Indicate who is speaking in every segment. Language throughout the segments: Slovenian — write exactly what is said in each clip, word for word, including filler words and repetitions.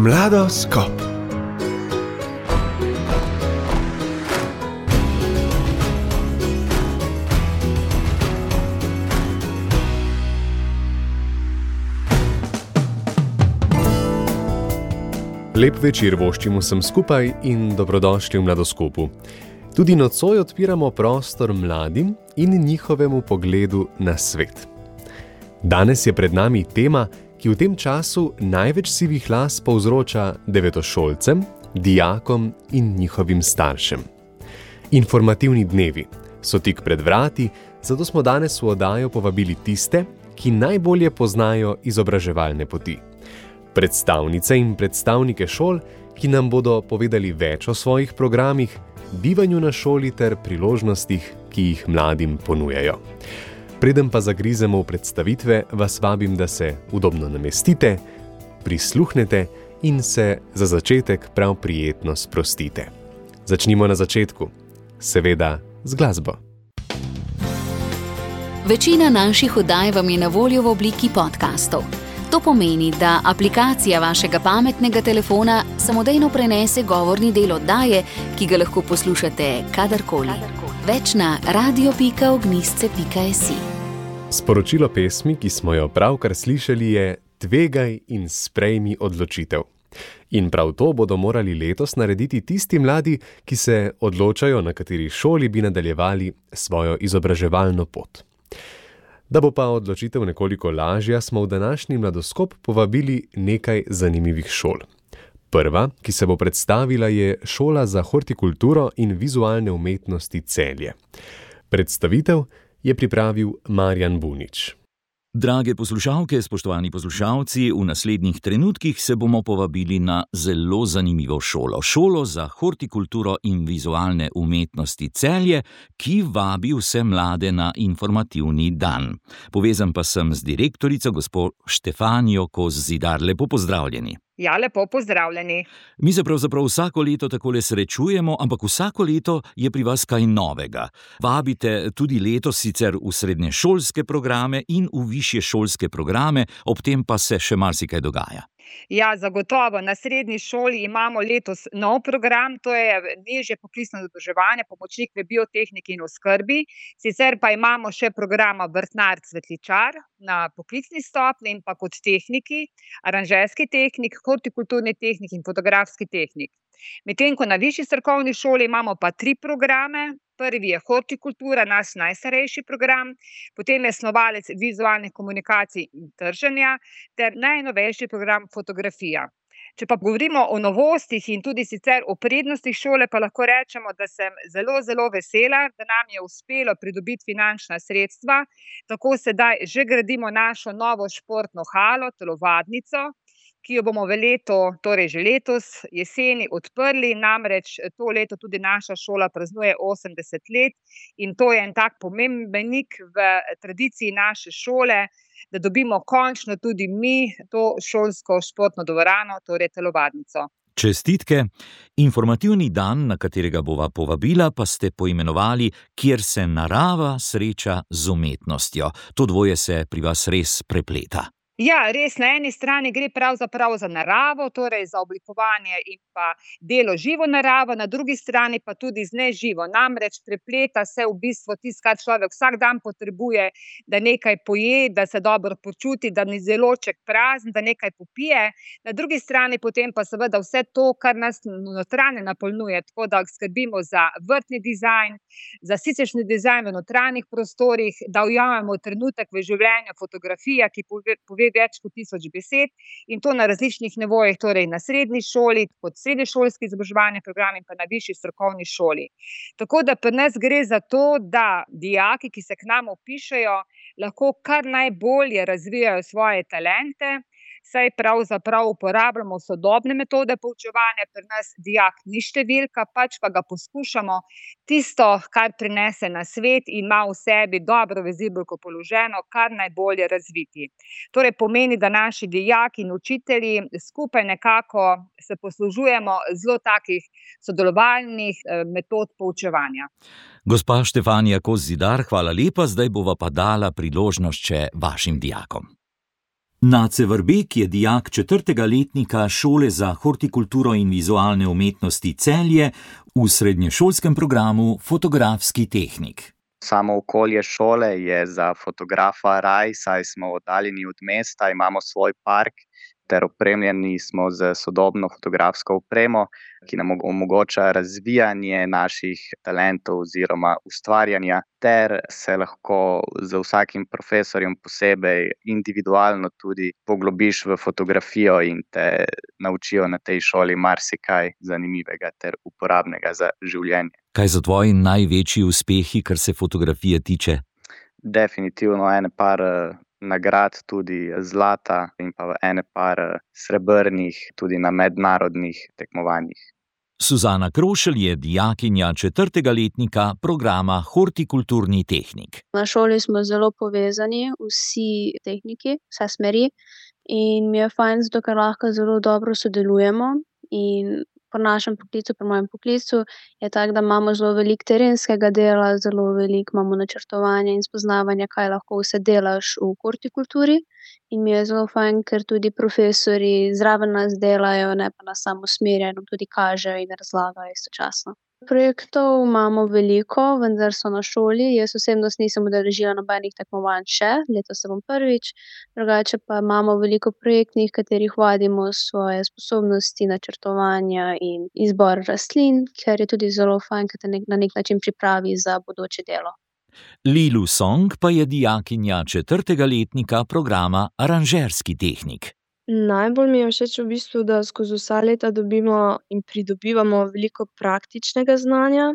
Speaker 1: Mladoskop. Lep večer voščimo vsem skupaj in dobrodošli v Mladoskopu. Tudi nocoj odpiramo prostor mladim in njihovemu pogledu na svet. Danes je pred nami tema, ki v tem času največ sivih las povzroča devetošolcem, dijakom in njihovim staršem. Informativni dnevi so tik pred vrati, zato smo danes v oddajo povabili tiste, ki najbolje poznajo izobraževalne poti. Predstavnice in predstavnike šol, ki nam bodo povedali več o svojih programih, bivanju na šoli ter priložnostih, ki jih mladim ponujajo. Preden pa zagrizemo v predstavitve, vas vabim, da se udobno namestite, prisluhnete in se za začetek prav prijetno sprostite. Začnimo na začetku, seveda z glasbo.
Speaker 2: Večina naših oddaj vam je na voljo v obliki podcastov. To pomeni, da aplikacija vašega pametnega telefona samodejno prenese govorni del oddaje, ki ga lahko poslušate kadarkoli. Več na radio pika ognjisce pika si.
Speaker 1: Sporočilo pesmi, ki smo jo pravkar slišali, je Tvegaj in sprejmi odločitev. In prav to bodo morali letos narediti tisti mladi, ki se odločajo, na kateri šoli bi nadaljevali svojo izobraževalno pot. Da bo pa odločitev nekoliko lažja, smo v današnji Mladoskop povabili nekaj zanimivih šol. Prva, ki se bo predstavila, je Šola za hortikulturo in vizualne umetnosti Celje. Predstavitev je pripravil Marjan Bunič.
Speaker 3: Drage poslušalke, spoštovani poslušalci, v naslednjih trenutkih se bomo povabili na zelo zanimivo šolo. Šolo za hortikulturo in vizualne umetnosti Celje, ki vabi vse mlade na informativni dan. Povezan pa sem z direktorico, gospo Štefanijo Kos-Zidar. Lepo pozdravljeni.
Speaker 4: Ja, lepo pozdravljeni.
Speaker 3: Mi se pravzaprav vsako leto takole srečujemo, ampak vsako leto je pri vas kaj novega. Vabite tudi letos sicer v srednješolske programe in v višje šolske programe, ob tem pa se še marsikaj dogaja.
Speaker 4: Ja, zagotovo. Na srednji šoli imamo letos nov program, to je nižje poklicno izobraževanje, pomočnik v biotehniki in oskrbi. Sicer pa imamo še programa vrtnar cvetličar na poklicni stopnji in pa kot tehniki, aranžerski tehnik, hortikulturni tehnik in fotografski tehnik. Medtem ko na višji strokovni šoli imamo pa tri programe. Prvi je hortikultura, naš najstarejši program, potem je snovalec vizualnih komunikacij in trženja ter najnovejši program fotografija. Če pa govorimo o novostih in tudi sicer o prednostih šole, pa lahko rečemo, da sem zelo, zelo vesela, da nam je uspelo pridobiti finančna sredstva. Tako sedaj že gradimo našo novo športno halo, telovadnico, ki jo bomo v leto, torej že letos jeseni odprli, namreč to leto tudi naša šola praznuje osemdeset let in to je en tak pomemben mejnik v tradiciji naše šole, da dobimo končno tudi mi to šolsko športno dvorano, torej telovadnico.
Speaker 3: Čestitke. Informativni dan, na katerega bova povabila, pa ste poimenovali Kjer se narava sreča z umetnostjo. To dvoje se pri vas res prepleta.
Speaker 4: Ja, res, na eni strani gre pravzaprav za naravo, torej za oblikovanje in pa delo živo naravo, na drugi strani pa tudi z neživo. Namreč prepleta se v bistvu tisto, kar človek vsak dan potrebuje, da nekaj poje, da se dobro počuti, da ni želodček prazen, da nekaj popije. Na drugi strani potem pa seveda vse to, kar nas notranje napolnjuje, tako da skrbimo za vrtni dizajn, za siceršnji dizajn v notranjih prostorih, da ujamemo trenutek v življenju, fotografija, ki pove, pove več kot tisoč besed in to na različnih nivojih, torej na srednji šoli, kot srednješolski izobraževalni program in pa na višji strokovni šoli. Tako da pri nas gre za to, da dijaki, ki se k nam vpišejo, lahko kar najbolje razvijajo svoje talente, saj pravzaprav uporabljamo sodobne metode poučevanja, pri nas dijak ni številka, pač pa ga poskušamo tisto, kar prinese na svet in ima v sebi dobro vezibelko položeno, kar najbolje razviti. Torej pomeni, da naši dijaki in učitelji skupaj nekako se poslužujemo zelo takih sodelovalnih metod poučevanja.
Speaker 3: Gospa Štefanija Kos-Zidar, hvala lepa, zdaj bova pa dala priložnost še vašim dijakom. Nace Vrbek je dijak četrtega letnika Šole za hortikulturo in vizualne umetnosti Celje v srednješolskem programu Fotografski tehnik.
Speaker 5: Samo okolje šole je za fotografa raj, saj smo oddaljeni od mesta, imamo svoj park ter opremljeni smo z sodobno fotografsko opremo, ki nam omogoča razvijanje naših talentov oziroma ustvarjanja, ter se lahko z vsakim profesorjem posebej individualno tudi poglobiš v fotografijo in te naučijo na tej šoli marsikaj zanimivega ter uporabnega za življenje.
Speaker 3: Kaj so tvoji največji uspehi, kar se fotografije tiče?
Speaker 5: Definitivno ene par nagrad, tudi zlata, in pa ene par srebrnih tudi na mednarodnih tekmovanjih.
Speaker 3: Suzana Krošelj je dijakinja četrtega letnika programa Hortikulturni tehnik.
Speaker 6: Na šoli smo zelo povezani, vsi tehniki, vse smeri, in mi je fajn, zato ker lahko zelo dobro sodelujemo. In pri našem poklicu, pri mojem poklicu, je tako, da imamo zelo veliko terenskega dela, zelo veliko imamo načrtovanja in spoznavanja, kaj lahko vse delaš v hortikulturi. In mi je zelo fajn, ker tudi profesorji zraven nas delajo, ne pa nas samo usmerjajo, tudi kažejo in razlagajo istočasno. Projektov imamo veliko, vendar so na šoli. Jaz osebno nisem udeležila nobenih tekmovanj še, letos se bom prvič. Drugače pa imamo veliko projektnih, katerih vadimo svoje sposobnosti načrtovanja in izbor rastlin, ker je tudi zelo fajn, ker te na nek način pripravi za bodoče delo.
Speaker 3: Lilu Song pa je dijakinja četrtega letnika programa Aranžerski tehnik.
Speaker 7: Najbolj mi je všeč v bistvu, da skozi vsa leta dobimo in pridobivamo veliko praktičnega znanja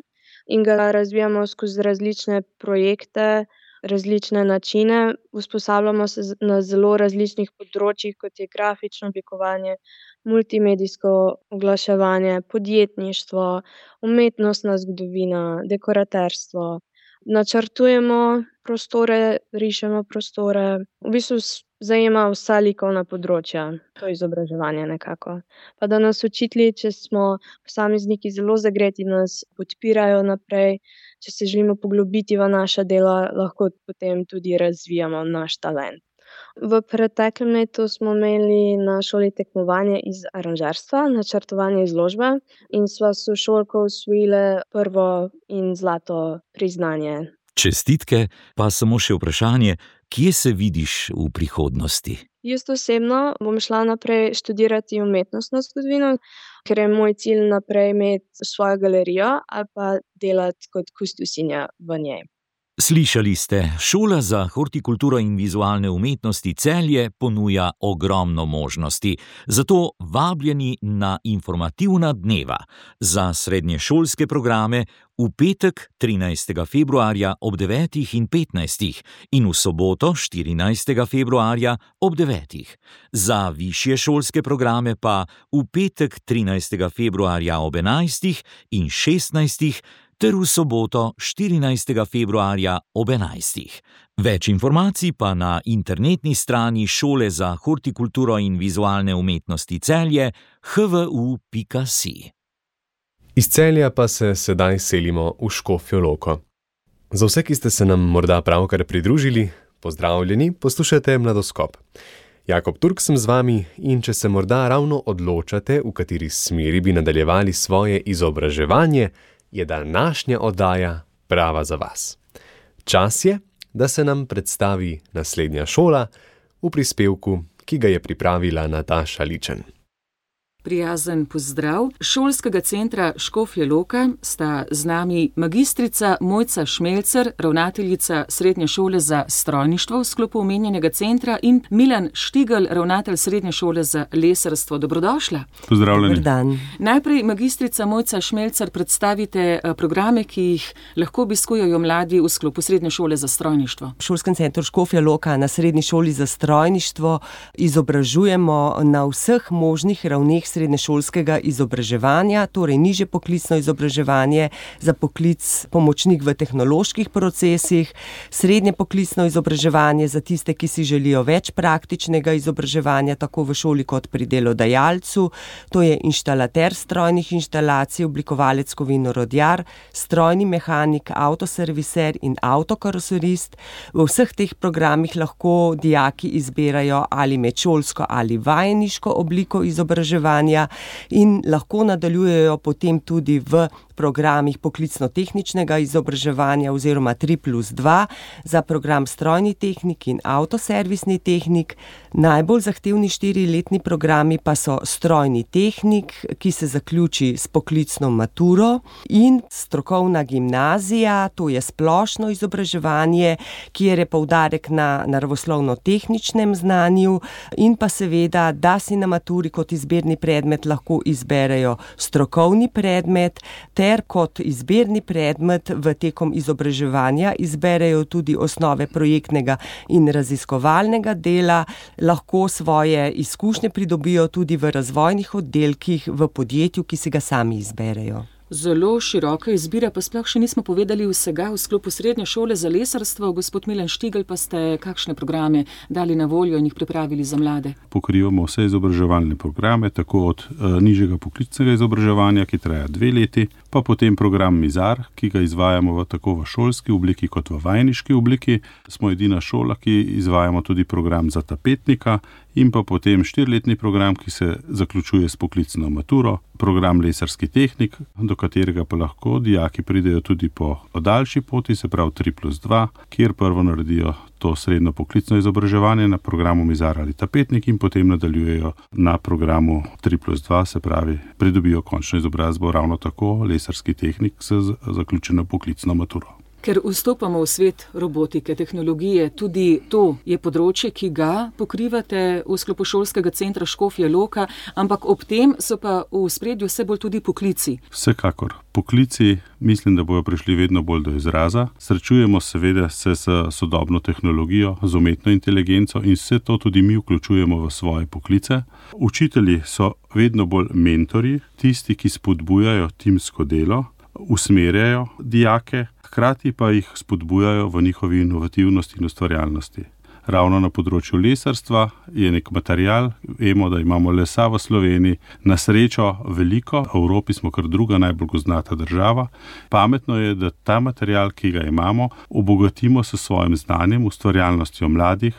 Speaker 7: in ga razvijamo skozi različne projekte, različne načine. Usposabljamo se na zelo različnih področjih, kot je grafično oblikovanje, multimedijsko oglaševanje, podjetništvo, umetnostna zgodovina, dekoraterstvo. Načrtujemo prostore, rišemo prostore, v bistvu zajema vsa likovna področja, to izobraževanje nekako. Pa da nas učitelji, če smo posamezniki zelo zagreti, nas podpirajo naprej, če se želimo poglobiti v naša dela, lahko potem tudi razvijamo naš talent. V preteklem letu smo imeli na šoli tekmovanje iz aranžerstva, načrtovanje izložbe, in sva sošolko osvojile prvo in zlato priznanje.
Speaker 3: Čestitke, pa samo še vprašanje, kje se vidiš v prihodnosti?
Speaker 7: Jaz osebno bom šla naprej študirati umetnostno zgodovino, ker je moj cilj naprej imeti svojo galerijo ali pa delati kot kustosinja v njej.
Speaker 3: Slišali ste, Šola za hortikulturo in vizualne umetnosti Celje ponuja ogromno možnosti, zato vabljeni na informativna dneva za srednješolske programe v petek trinajstega februarja ob devetih in petnajstih in v soboto štirinajstega februarja ob devetih. Za višje šolske programe pa v petek trinajstega februarja ob enajstih in šestnajstih ter v soboto štirinajstega februarja ob enajstih. Več informacij pa na internetni strani Šole za hortikulturo in vizualne umetnosti Celje h v u pika si.
Speaker 1: Iz Celja pa se sedaj selimo v Škofjo Loko. Za vse, ki ste se nam morda pravkar pridružili, pozdravljeni, poslušate Mladoskop. Jakob Turk sem z vami in če se morda ravno odločate, v kateri smeri bi nadaljevali svoje izobraževanje, je današnja oddaja prava za vas. Čas je, da se nam predstavi naslednja šola v prispevku, ki ga je pripravila Nataša Ličen.
Speaker 8: Prijazen pozdrav. Šolskega centra Škofja Loka sta z nami magistrica Mojca Šmelcer, ravnateljica Srednje šole za strojništvo v sklopu omenjenega centra, in Milan Štigl, ravnatelj Srednje šole za lesarstvo. Dobrodošla.
Speaker 9: Pozdravljeni. Dober dan.
Speaker 8: Najprej, magistrica Mojca Šmelcer, predstavite programe, ki jih lahko obiskujejo mladi v sklopu Srednje šole za strojništvo.
Speaker 9: V Šolskem centru Škofja Loka na Srednji šoli za strojništvo izobražujemo na vseh možnih ravneh srednješolskega izobraževanja, torej nižje poklicno izobraževanje za poklic pomočnik v tehnoloških procesih, srednje poklicno izobraževanje za tiste, ki si želijo več praktičnega izobraževanja, tako v šoli kot pri delodajalcu, to je inštalater strojnih inštalacij, oblikovalec kovinorodjar, strojni mehanik, avtoserviser in avtokaroserist. V vseh teh programih lahko dijaki izbirajo ali med šolsko ali vajeniško obliko izobraževanja in lahko nadaljujejo potem tudi v programih poklicno-tehničnega izobraževanja oziroma tri plus dva za program strojni tehnik in avtoservisni tehnik. Najbolj zahtevni štiriletni programi pa so strojni tehnik, ki se zaključi s poklicno maturo, in strokovna gimnazija, to je splošno izobraževanje, kjer je poudarek na naravoslovno-tehničnem znanju, in pa seveda, da si na maturi kot izbirni predmet lahko izberejo strokovni predmet, ter kot izbirni predmet v tekom izobraževanja izberejo tudi osnove projektnega in raziskovalnega dela, lahko svoje izkušnje pridobijo tudi v razvojnih oddelkih v podjetju, ki si ga sami izberejo.
Speaker 8: Zelo široka izbira, pa sploh še nismo povedali vsega v sklopu srednje šole za lesarstvo. Gospod Milan Štigl, pa ste kakšne programe dali na voljo in jih pripravili za mlade?
Speaker 10: Pokrivamo vse izobraževalne programe, tako od uh, nižjega poklicnega izobraževanja, ki traja dve leti, pa potem program Mizar, ki ga izvajamo v, tako v šolski obliki kot v vajeniški obliki. Smo edina šola, ki izvajamo tudi program za tapetnika, in pa potem štiriletni program, ki se zaključuje s poklicno maturo, program lesarski tehnik, do katerega pa lahko dijaki pridejo tudi po daljši poti, se pravi tri plus dva, kjer prvo naredijo to srednjo poklicno izobraževanje na programu Mizar ali tapetnik in potem nadaljujejo na programu tri plus dva, se pravi pridobijo končno izobrazbo ravno tako lesarski tehnik s zaključeno poklicno maturo.
Speaker 8: Ker vstopamo v svet robotike, tehnologije, tudi to je področje, ki ga pokrivate v sklopu šolskega centra Škofja Loka, ampak ob tem so pa v ospredju vse bolj tudi poklici.
Speaker 10: Vsekakor. Poklici mislim, da bojo prišli vedno bolj do izraza. Srečujemo seveda se s sodobno tehnologijo, z umetno inteligenco in vse to tudi mi vključujemo v svoje poklice. Učitelji so vedno bolj mentorji, tisti, ki spodbujajo timsko delo, usmerjajo dijake, hkrati pa jih spodbujajo v njihovi inovativnosti in ustvarjalnosti. Ravno na področju lesarstva je nek material, vemo, da imamo lesa v Sloveniji, na srečo veliko, v Evropi smo kar druga najbolj gozdnata država. Pametno je, da ta material, ki ga imamo, obogatimo s svojim znanjem, ustvarjalnostjo mladih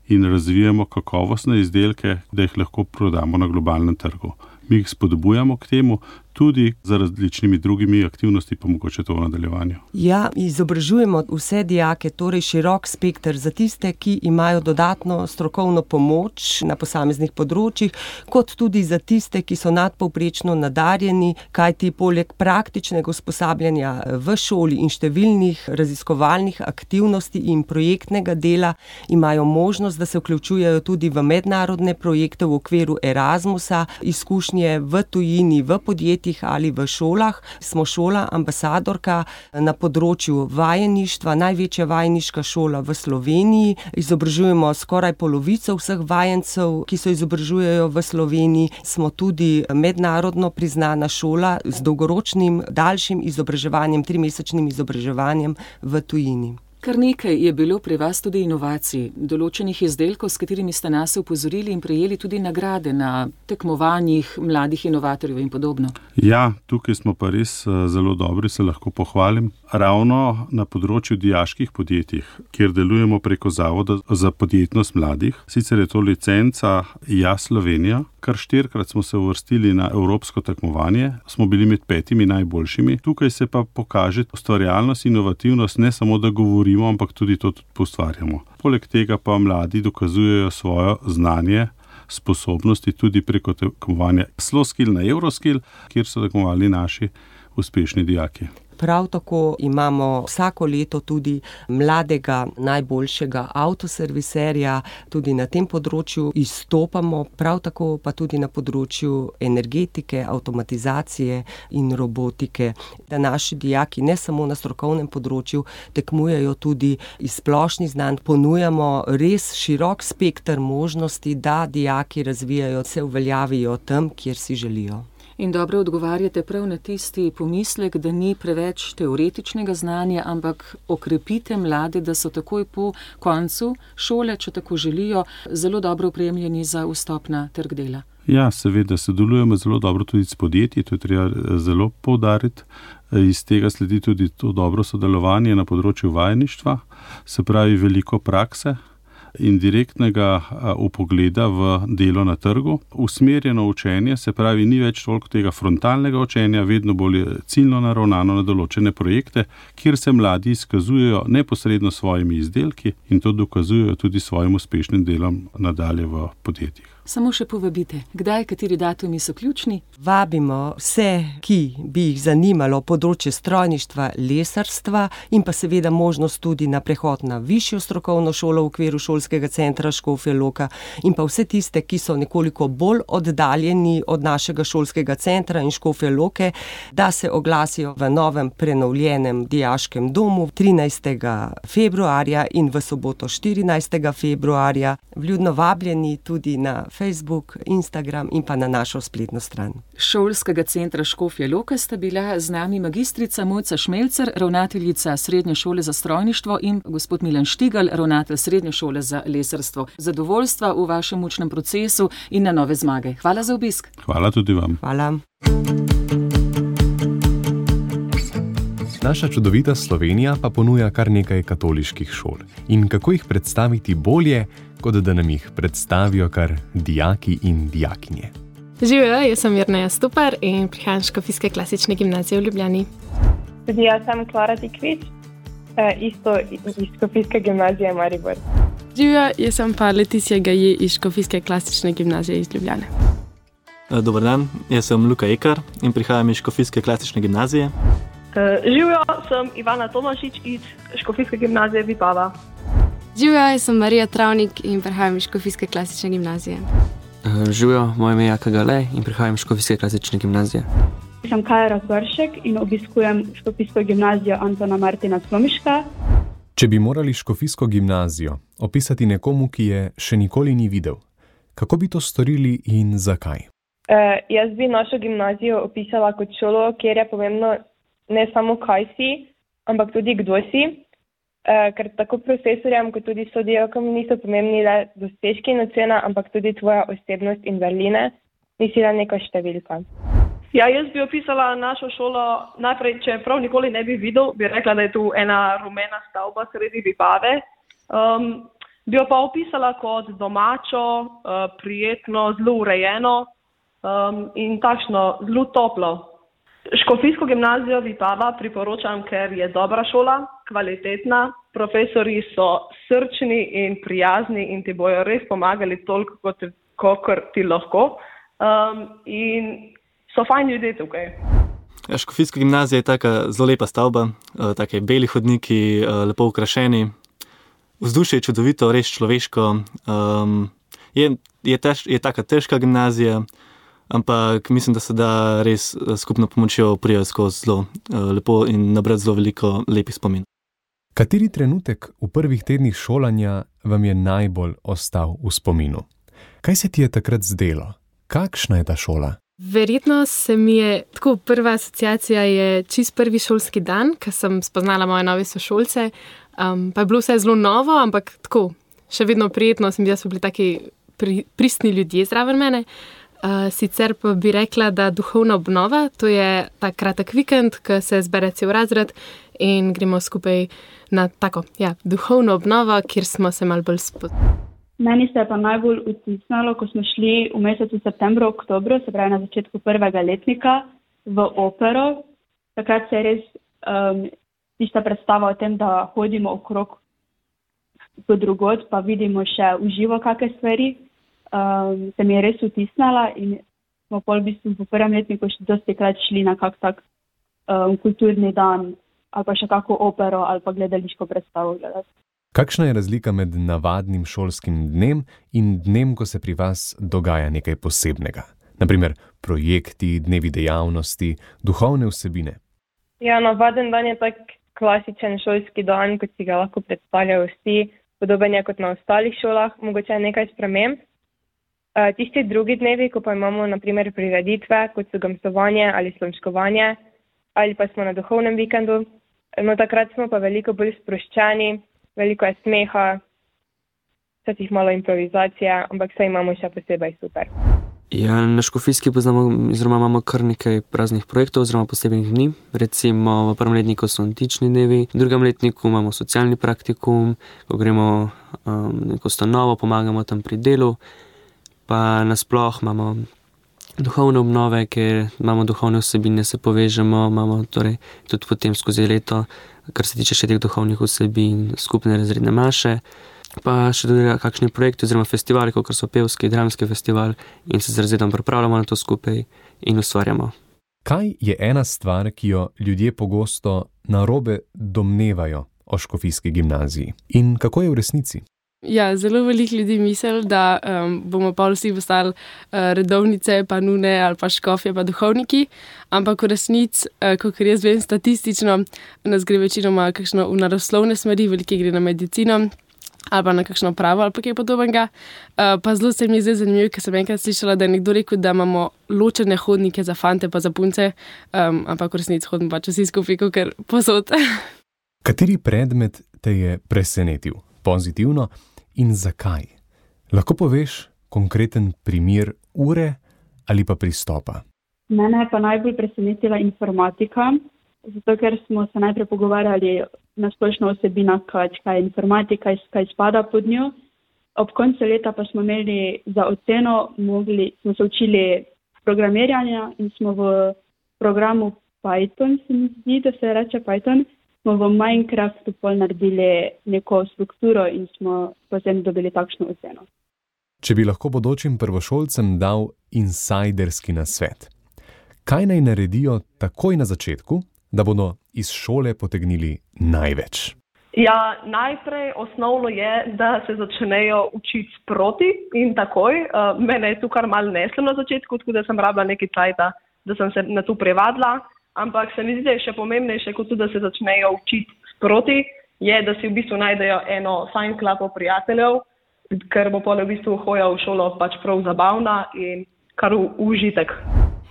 Speaker 10: in razvijamo kakovostne izdelke, da jih lahko prodamo na globalnem trgu. Mi jih spodbujamo k temu, tudi za različnimi drugimi aktivnosti, pa mogoče to v nadaljevanju.
Speaker 9: Ja, izobražujemo vse dijake, torej širok spekter za tiste, ki imajo dodatno strokovno pomoč na posameznih področjih, kot tudi za tiste, ki so nadpovprečno nadarjeni, kajti poleg praktičnega usposabljanja v šoli in številnih raziskovalnih aktivnosti in projektnega dela imajo možnost, da se vključujejo tudi v mednarodne projekte v okviru Erasmusa, izkušnje v tujini, v podjetjih ali v šolah. Smo šola ambasadorka na področju vajeništva, največja vajeniška šola v Sloveniji. Izobražujemo skoraj polovico vseh vajencev, ki se izobražujejo v Sloveniji. Smo tudi mednarodno priznana šola z dolgoročnim, daljšim izobraževanjem, trimesečnim izobraževanjem v tujini.
Speaker 8: Kar nekaj je bilo pri vas tudi inovacij, določenih izdelkov, s katerimi ste nas upozorili in prejeli tudi nagrade na tekmovanjih mladih inovatorjev in podobno.
Speaker 10: Ja, tukaj smo pa res zelo dobri, se lahko pohvalim. Ravno na področju dijaških podjetij, kjer delujemo preko Zavoda za podjetnost mladih, sicer je to licenca Ja Slovenija, kar štirikrat smo se uvrstili na evropsko tekmovanje, smo bili med petimi najboljšimi. Tukaj se pa pokaže ustvarjalnost, inovativnost, ne samo da govorimo, ampak tudi to tudi postvarjamo. Poleg tega pa mladi dokazujejo svoje znanje, sposobnosti tudi preko tekmovanja Sloskill na Euroskill, kjer so tekmovali naši uspešni dijaki.
Speaker 9: Prav tako imamo vsako leto tudi mladega najboljšega avtoserviserja, tudi na tem področju izstopamo, prav tako pa tudi na področju energetike, avtomatizacije in robotike. Da naši dijaki ne samo na strokovnem področju tekmujejo tudi iz splošnih znanj, ponujamo res širok spekter možnosti, da dijaki razvijajo, se uveljavijo tam, kjer si želijo.
Speaker 8: In dobro odgovarjate prav na tisti pomislek, da ni preveč teoretičnega znanja, ampak okrepite mlade, da so takoj po koncu šole, če tako želijo, zelo dobro opremljeni za vstop na trg dela.
Speaker 10: Ja, seveda, sodelujemo zelo dobro tudi s podjetji, to je treba zelo poudariti. Iz tega sledi tudi to dobro sodelovanje na področju vajeništva, se pravi veliko prakse in direktnega vpogleda v delo na trgu. Usmerjeno učenje, se pravi, ni več toliko tega frontalnega učenja, vedno bolj ciljno naravnano na določene projekte, kjer se mladi izkazujejo neposredno svojimi izdelki in to dokazujejo tudi svojim uspešnim delom nadalje v podjetjih.
Speaker 8: Samo še povabite, kdaj, kateri datumi so ključni?
Speaker 9: Vabimo vse, ki bi jih zanimalo področje strojništva, lesarstva in pa seveda možnost tudi na prehod na višjo strokovno šolo v okviru šolskega centra Škofja Loka in pa vse tiste, ki so nekoliko bolj oddaljeni od našega šolskega centra in Škofje Loke, da se oglasijo v novem prenovljenem dijaškem domu trinajstega februarja in v soboto štirinajstega februarja. Vljudno vabljeni tudi na Facebook, Instagram in pa na našo spletno stran.
Speaker 8: Šolskega centra Škofja Loka sta bila z nami magistrica Mojca Šmelcer, ravnateljica Srednje šole za strojništvo in gospod Milan Štigal, ravnatelj Srednje šole za lesarstvo. Zadovoljstva v vašem učnem procesu in na nove zmage. Hvala za obisk.
Speaker 10: Hvala tudi vam.
Speaker 9: Hvala.
Speaker 1: Naša čudovita Slovenija pa ponuja kar nekaj katoliških šol. In kako jih predstaviti bolje, kot da nam jih predstavijo kar dijaki in dijakinje.
Speaker 11: Živijo, jaz sem Jerneja Stupar in prihajam iz Škofijske klasične gimnazije v Ljubljani.
Speaker 12: Tudi jaz sem Klara Tikvič, isto iz Škofijske gimnazije Maribor.
Speaker 11: Živijo, jaz sem pa Leticia Gaje iz Škofijske klasične gimnazije iz Ljubljane.
Speaker 13: Dobar dan, jaz sem Luka Ekar in prihajam iz Škofijske klasične gimnazije.
Speaker 14: Živijo, sem Ivana Tomašič iz Škofijske gimnazije Vipava.
Speaker 15: Živijo, jaz sem Marija Travnik in prihajam iz Škofijske klasične gimnazije.
Speaker 16: Živijo, moje ime je Jaka Galej in prihajam iz Škofijske klasične gimnazije.
Speaker 17: Sem Kaja Razvršek in obiskujem Škofijsko gimnazijo Antona Martina Slomiška.
Speaker 1: Če bi morali Škofijsko gimnazijo opisati nekomu, ki je še nikoli ni videl, kako bi to storili in zakaj?
Speaker 12: Uh, jaz bi našo gimnazijo opisala kot šolo, kjer je pomembno ne samo kaj si, ampak tudi kdo si, uh, ker tako profesorjem kot tudi sodelavkam niso pomembni le dosežki in ocena, ampak tudi tvoja osebnost in vrline, nisi le neka številka.
Speaker 14: Ja, jaz bi opisala našo šolo najprej, če prav nikoli ne bi videl, bi rekla, da je tu ena rumena stavba sredi Vipave. Um, bi jo pa opisala kot domačo, uh, prijetno, zelo urejeno um, in takšno zelo toplo. Škofijsko gimnazijo Vipava priporočam, ker je dobra šola, kvalitetna, profesori so srčni in prijazni in ti bojo res pomagali toliko, kot, kot ti lahko. Um, in so fajn ljudje tukaj.
Speaker 13: Ja, Škofijska gimnazija je taka zelo lepa stavba, take beli hodniki, lepo ukrašeni. Vzdušje je čudovito, res človeško. Um, je, je, tež, je taka težka gimnazija, ampak mislim, da se da res skupno pomočjo prijeti skozi zelo lepo in nabrati zelo veliko lepih spomin.
Speaker 1: Kateri trenutek v prvih tednih šolanja vam je najbolj ostal v spominu? Kaj se ti je takrat zdelo? Kakšna je ta šola?
Speaker 11: Verjetno se mi je, tako prva asociacija je čist prvi šolski dan, ko sem spoznala moje nove sošolce, um, pa je bilo vse zelo novo, ampak tako, še vedno prijetno, sem bila, so bili taki pri, pristni ljudje zraven mene. Uh, sicer pa bi rekla, da duhovna obnova, to je ta kratek vikend, ko se zbere cel razred in gremo skupaj na tako, ja, duhovno obnovo, kjer smo se malo bolj spoznali.
Speaker 17: Meni se je pa najbolj vtisnalo, ko smo šli v mesecu septembru, oktobru, se pravi na začetku prvega letnika, v opero. Takrat se je res um, tista predstava o tem, da hodimo okrog po drugod, pa vidimo še v živo kakšne stvari. Um, se mi je res vtisnala in smo pol v bistvu po prvem letniku še dosti krat šli na kak tak um, kulturni dan ali pa še kako opero ali pa gledališko predstavo gledati.
Speaker 1: Kakšna je razlika med navadnim šolskim dnem in dnem, ko se pri vas dogaja nekaj posebnega? Naprimer projekti, dnevi dejavnosti, duhovne vsebine.
Speaker 12: Ja, navaden dan je tak klasičen šolski dan, kot si ga lahko predstavljajo vsi, podoben je kot na ostalih šolah, mogoče je nekaj sprememb. Uh, tisti drugi dnevi, ko pa imamo naprimer prireditve, kot so gamsovanje ali slomškovanje, ali pa smo na duhovnem vikendu, no takrat smo pa veliko bolj sproščeni, veliko je smeha, včasih malo improvizacije, ampak vse imamo še posebej super.
Speaker 16: Ja, na Škofijski poznamo, oziroma imamo kar nekaj raznih projektov oziroma posebnih dni. Recimo v prvem letniku so antični dnevi, v drugem letniku imamo socialni praktikum, ko gremo um, neko stanovo, pomagamo tam pri delu, pa nasploh imamo duhovne obnove, ker imamo duhovne vsebine, se povežemo, imamo torej tudi potem skozi leto, kar se tiče še teh duhovnih vsebin, skupne razredne maše, pa še tudi kakšni projekti oziroma festivali, kot so pevski, dramski festival in se z razredom pripravljamo na to skupaj in ustvarjamo.
Speaker 1: Kaj je ena stvar, ki jo ljudje pogosto narobe domnevajo o Škofijski gimnaziji in kako je v resnici?
Speaker 11: Ja, zelo veliko ljudi misli, da um, bomo pa vsi postali uh, redovnice, pa nune ali pa škofje, pa duhovniki, ampak v resnici, uh, kot jaz vem statistično, nas gre večinoma kakšno v naravoslovne smeri, velike gre na medicino, ali pa na kakšno pravo, ali pa kaj podobnega. Uh, pa zelo se mi je zdaj zanimivo, ker sem enkrat slišala, da je nekdo rekel, da imamo ločene hodnike za fante pa za punce, um, ampak v resnici hodim pač vsi skupaj, kakor posod.
Speaker 1: Kateri predmet te je presenetil, pozitivno in zakaj? Lahko poveš konkreten primer ure ali pa pristopa?
Speaker 17: Mene je pa najbolj presenetila informatika, zato ker smo se najprej pogovarjali na splošno osebina, kaj je informatika, kaj spada pod njo. Ob koncu leta pa smo imeli za oceno, mogli, smo se učili programiranja in smo v programu Python, se mi zdi, da se reče Python, smo v Minecraftu pol naredili neko strukturo in smo potem dobili takšno oceno.
Speaker 1: Če bi lahko bodočim prvošolcem dal insajderski nasvet, kaj naj naredijo takoj na začetku, da bodo iz šole potegnili največ?
Speaker 14: Ja, najprej osnovno je, da se začnejo učiti sproti in takoj. Uh, mene je tu kar malo neslo na začetku, tako da sem rabila nekaj časa, da sem se na to privadila, ampak se mi zdi, da je še pomembnejše, kot tudi, da se začnejo učiti sproti, je, da si v bistvu najdejo eno fajn klapo prijateljev, ker bo pole v bistvu hoja v šolo pač prav zabavna in kar v užitek.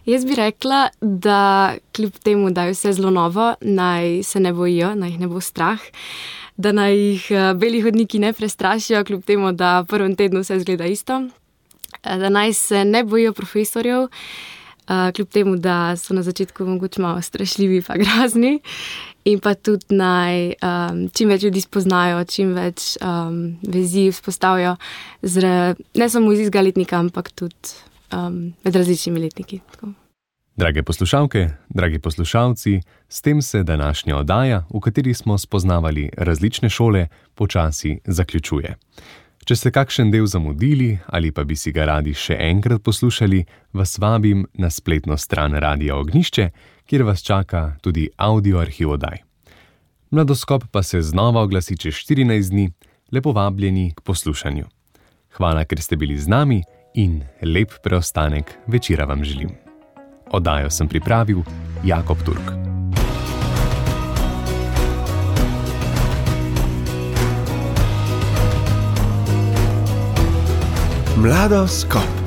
Speaker 15: Jaz bi rekla, da kljub temu, da je vse zelo novo, naj se ne bojijo, naj jih ne bo strah, da naj jih beli hodniki ne prestrašijo, kljub temu, da v prvem tednu vse zgleda isto, da naj se ne bojijo profesorjev, kljub temu, da so na začetku mogoče malo strašljivi pa grazni, in pa tudi naj um, čim več ljudi spoznajo, čim več um, vezi vzpostavijo, ne samo iz istega letnika, ampak tudi Um, med različnimi letniki. Tako.
Speaker 1: Drage poslušalke, dragi poslušalci, s tem se današnja oddaja, v kateri smo spoznavali različne šole, počasi zaključuje. Če ste kakšen del zamudili ali pa bi si ga radi še enkrat poslušali, vas vabim na spletno stran Radia Ognjišče, kjer vas čaka tudi audio arhiv oddaj. Mladoskop pa se znova oglasi čez štirinajst dni, lepo vabljeni k poslušanju. Hvala, ker ste bili z nami, in lep preostanek večera vam želim. Oddajo sem pripravil Jakob Turk.
Speaker 18: Mladoskop.